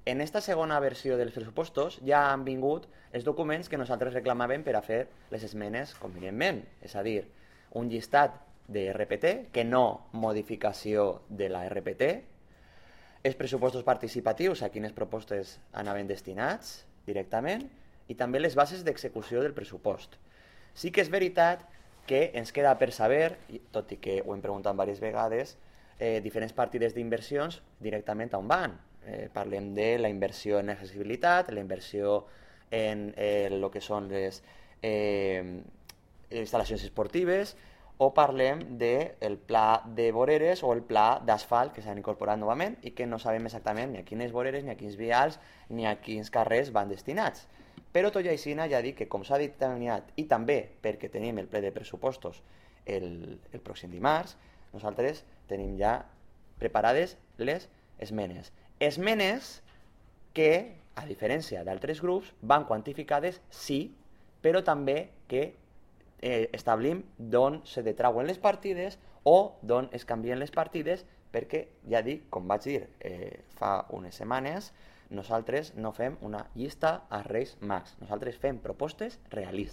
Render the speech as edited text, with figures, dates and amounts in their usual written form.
En esta segona versió dels pressupostos ja han vingut els documents que nosaltres reclamàvem per a fer les esmenes convenientment, és a dir, un llistat de RPT, que no modificació de la RPT, els pressupostos participatius, a quines propostes anaven destinats directament, i també les bases d'execució del pressupost. Sí que és veritat que ens queda per saber, tot i que ho hem preguntat diverses vegades, diferents partides d'inversions directament on van. Parlem de la inversió en accessibilitat, la inversió en el que són les instal·lacions esportives, o parlem del pla de voreres o el pla d'asfalt que s'han incorporat novament i que no sabem exactament ni a quines voreres, ni a quins vials, ni a quins carrers van destinats. Però tot i així ja dic que, com s'ha determinat, i també perquè tenim el ple de pressupostos el pròxim dimarts, nosaltres tenim ja preparades les esmenes. Esmenes que, a diferència d'altres grups, van quantificades, sí, però també que establim d'on se detrauen les partides o d'on es canvien les partides, perquè, ja dic, com vaig dir fa unes setmanes, nosaltres no fem una llista als Reis Mags, nosaltres fem propostes realistes.